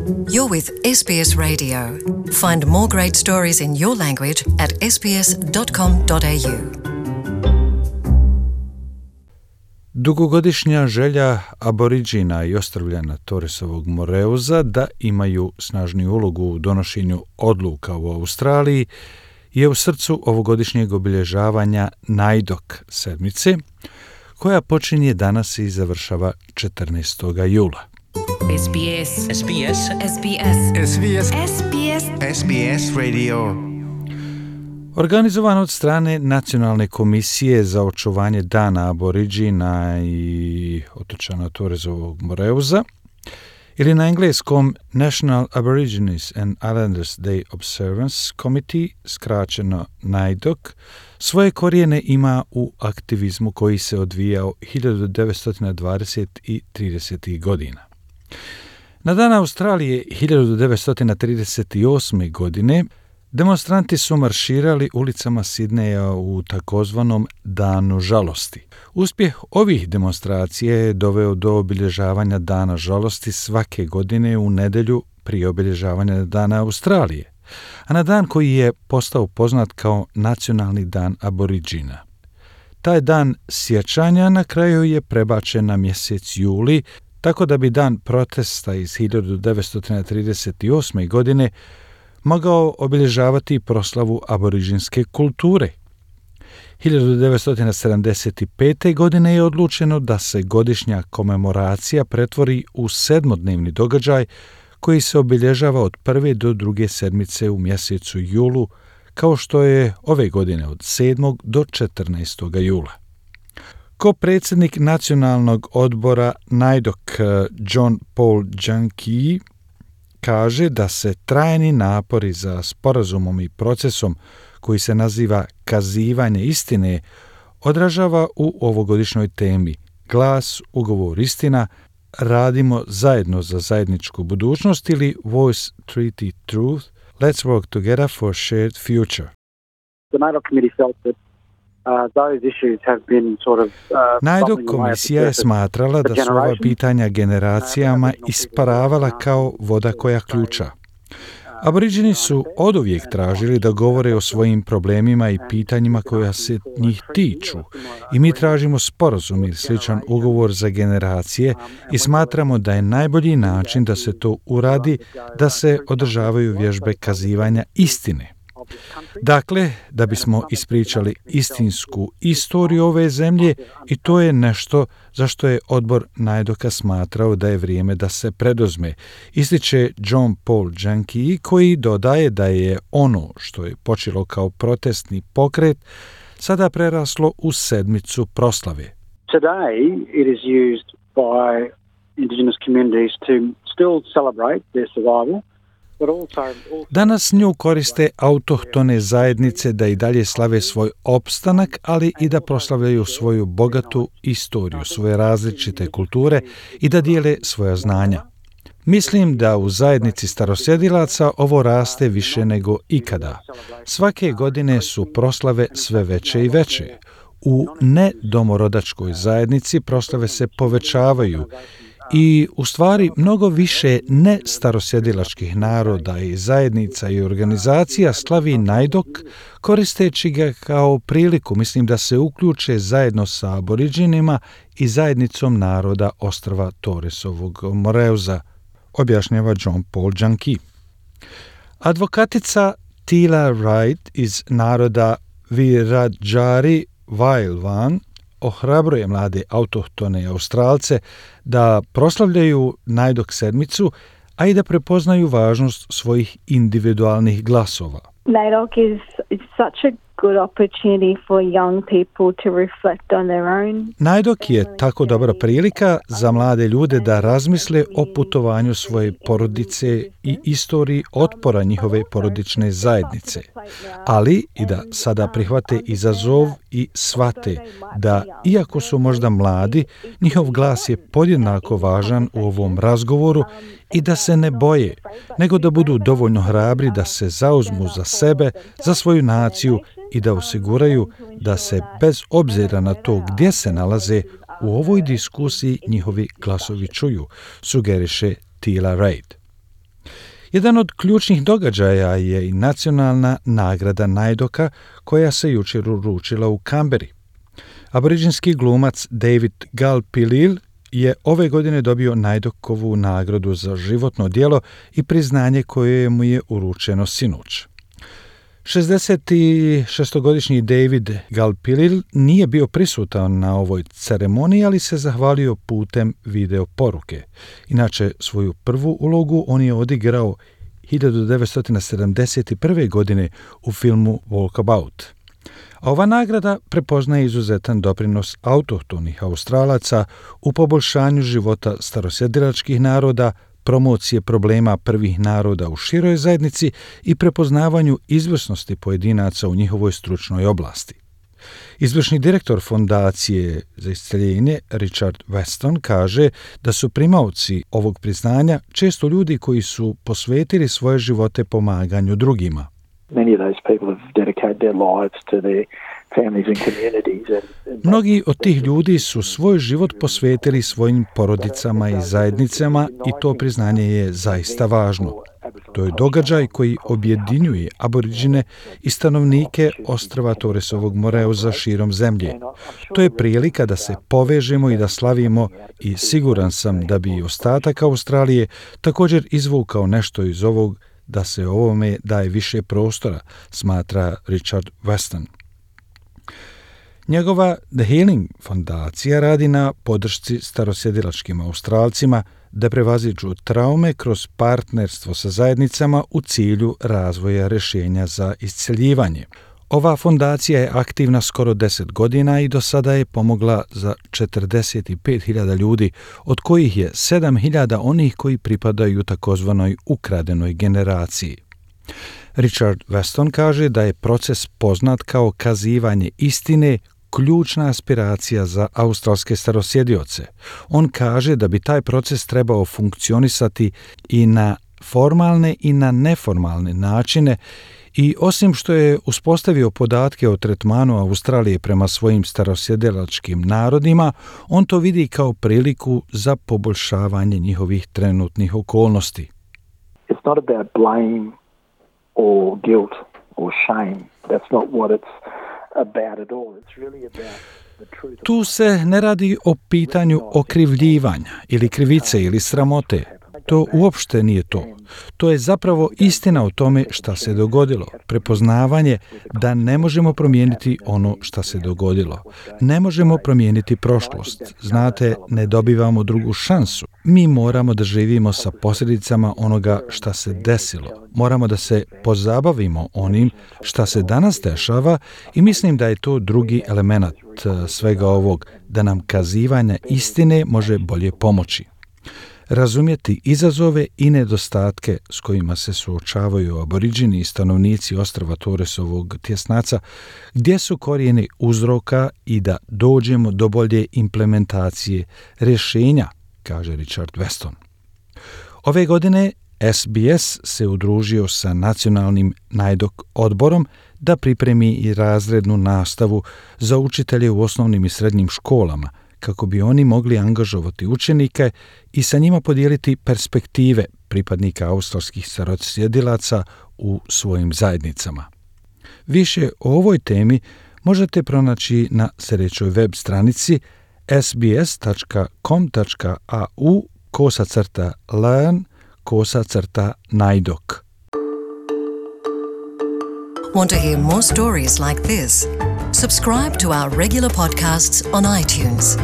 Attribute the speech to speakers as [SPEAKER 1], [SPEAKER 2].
[SPEAKER 1] You're with SBS Radio. Find more great stories in your language at sbs.com.au.
[SPEAKER 2] Dugogodišnja želja Aboriđina i ostrvljana Torresovog Moreuza da imaju snažniju ulogu u donošenju odluka u Australiji je u srcu ovogodišnjeg obilježavanja Najdok sedmice, koja počinje danas i završava 14. jula.
[SPEAKER 3] SBS SBS SBS SBS SBS SBS Radio.
[SPEAKER 2] Organizovan od strane Nacionalne komisije za očuvanje dana Aboriđina i otočana Torresovog Moreuza, ili na engleskom National Aborigines and Islanders Day Observance Committee, skraćeno NAIDOC, svoje korijene ima u aktivizmu koji se odvijao 1920. i 30. godina. Na dan Australije 1938. godine demonstranti su marširali ulicama Sidneja u takozvanom Danu žalosti. Uspjeh ovih demonstracija je doveo do obilježavanja Dana žalosti svake godine u nedjelju prije obilježavanja Dana Australije, a na dan koji je postao poznat kao Nacionalni dan Aboriđina. Taj dan sjećanja na kraju je prebačen na mjesec juli, tako da bi dan protesta iz 1938. godine mogao obilježavati proslavu aboriđinske kulture. 1975. godine je odlučeno da se godišnja komemoracija pretvori u sedmodnevni događaj koji se obilježava od prve do druge sedmice u mjesecu julu, kao što je ove godine od 7. do 14. jula. Ko predsjednik nacionalnog odbora NAIDOC John Paul Junkie kaže da se trajni napori za sporazumom i procesom koji se naziva kazivanje istine odražava u ovogodišnjoj temi Glas, ugovor, istina, radimo zajedno za zajedničku budućnost ili Voice, Treaty, Truth, Let's work together for shared future.
[SPEAKER 4] The NAIDOC committee felt that those issues have been sort of
[SPEAKER 2] NAIDOC komisija je smatrala da su ova pitanja generacijama isparavala kao voda koja ključa. Aboriđini su oduvijek tražili da govore o svojim problemima i pitanjima koja se njih tiču i mi tražimo sporazum ili sličan ugovor za generacije i smatramo da je najbolji način da se to uradi da se održavaju vježbe kazivanja istine. Dakle, da bismo ispričali istinsku istoriju ove zemlje i to je nešto za što je odbor NAIDOC-a smatrao da je vrijeme da se preduzme, ističe John Paul Junkie, koji dodaje da je ono što je počelo kao protestni pokret sada preraslo u sedmicu proslave.
[SPEAKER 4] Today it is used by Indigenous communities to still celebrate their survival.
[SPEAKER 2] Danas nju koriste autohtone zajednice da i dalje slave svoj opstanak, ali i da proslavljaju svoju bogatu istoriju, svoje različite kulture i da dijele svoja znanja. Mislim da u zajednici starosjedilaca ovo raste više nego ikada. Svake godine su proslave sve veće i veće. U nedomorodačkoj zajednici proslave se povećavaju i u stvari mnogo više ne starosjedilačkih naroda i zajednica i organizacija slavi NAIDOC koristeći ga kao priliku, mislim, da se uključe zajedno sa Aboriđinima i zajednicom naroda ostrva Torresovog Moreuza, objašnjava John Paul Junkie. Advokatica Tila Wright iz naroda Wiradjuri Wailwan ohrabruje mlade autohtone Australce da proslavljaju NAIDOC sedmicu, a i da prepoznaju važnost svojih individualnih glasova.
[SPEAKER 5] NAIDOC is such a good opportunity for young people to reflect on their own.
[SPEAKER 2] NAIDOC je tako dobra prilika za mlade ljude da razmisle o putovanju svoje porodice i istoriji otpora njihove porodične zajednice, ali i da sada prihvate izazov i shvate da, iako su možda mladi, njihov glas je podjednako važan u ovom razgovoru i da se ne boje, nego da budu dovoljno hrabri da se zauzmu za sebe, za svoju naciju i da osiguraju da se bez obzira na to gdje se nalaze u ovoj diskusiji njihovi glasovi čuju, sugeriše Tila Wright. Jedan od ključnih događaja je i nacionalna nagrada Naidoka koja se jučer uručila u Kamberi. Aboriđinski glumac David Gulpilil je ove godine dobio Naidokovu nagradu za životno djelo i priznanje koje mu je uručeno sinoć. 66-godišnji David Gulpilil nije bio prisutan na ovoj ceremoniji, ali se zahvalio putem video poruke. Inače, svoju prvu ulogu on je odigrao 1971. godine u filmu Walkabout. A ova nagrada prepoznaje izuzetan doprinos autohtonih Australaca u poboljšanju života starosjedilačkih naroda, promocije problema prvih naroda u široj zajednici i prepoznavanju izvrsnosti pojedinaca u njihovoj stručnoj oblasti. Izvršni direktor Fondacije za isceljenje Richard Weston kaže da su primaoci ovog priznanja često ljudi koji su posvetili svoje živote pomaganju drugima. Mnogi od tih ljudi su svoj život posvetili svojim porodicama i zajednicama i to priznanje je zaista važno. To je događaj koji objedinjuje Aboriđine i stanovnike ostrva Torresovog Moreuza širom zemlje. To je prilika da se povežemo i da slavimo i siguran sam da bi i ostatak Australije također izvukao nešto iz ovog, da se ovome daje više prostora, smatra Richard Weston. Njegova The Healing fondacija radi na podršci starosjedilačkim Australcima da prevaziđu traume kroz partnerstvo sa zajednicama u cilju razvoja rješenja za isceljivanje. Ova fondacija je aktivna skoro 10 godina i do sada je pomogla za 45.000 ljudi, od kojih je 7.000 onih koji pripadaju takozvanoj ukradenoj generaciji. Richard Weston kaže da je proces poznat kao kazivanje istine ključna aspiracija za australske starosjedioce. On kaže da bi taj proces trebao funkcionisati i na formalne i na neformalne načine i osim što je uspostavio podatke o tretmanu Australije prema svojim starosjedilačkim narodima, on to vidi kao priliku za poboljšavanje njihovih trenutnih okolnosti.
[SPEAKER 6] It's not about blame or guilt or shame. That's not what it's about at all. It's really about the truth.
[SPEAKER 2] Tu se ne radi o pitanju okrivljivanja ili krivice ili sramote. To uopšte nije to. To je zapravo istina o tome šta se dogodilo. Prepoznavanje da ne možemo promijeniti ono šta se dogodilo. Ne možemo promijeniti prošlost. Znate, ne dobivamo drugu šansu. Mi moramo da živimo sa posljedicama onoga šta se desilo. Moramo da se pozabavimo onim šta se danas dešava i mislim da je to drugi element svega ovog, da nam kazivanje istine može bolje pomoći. Razumjeti izazove i nedostatke s kojima se suočavaju Aboriđini i stanovnici ostrva Torresovog tjesnaca, gdje su korijeni uzroka i da dođemo do bolje implementacije rješenja, kaže Richard Weston. Ove godine SBS se udružio sa nacionalnim Naidok odborom da pripremi i razrednu nastavu za učitelje u osnovnim i srednjim školama, kako bi oni mogli angažovati učenike i sa njima podijeliti perspektive pripadnika australskih starosjedilaca u svojim zajednicama. Više o ovoj temi možete pronaći na sljedećoj web stranici sbs.com.au/learn/Naidok.
[SPEAKER 1] Want to hear more stories like this? Subscribe to our regular podcasts on iTunes.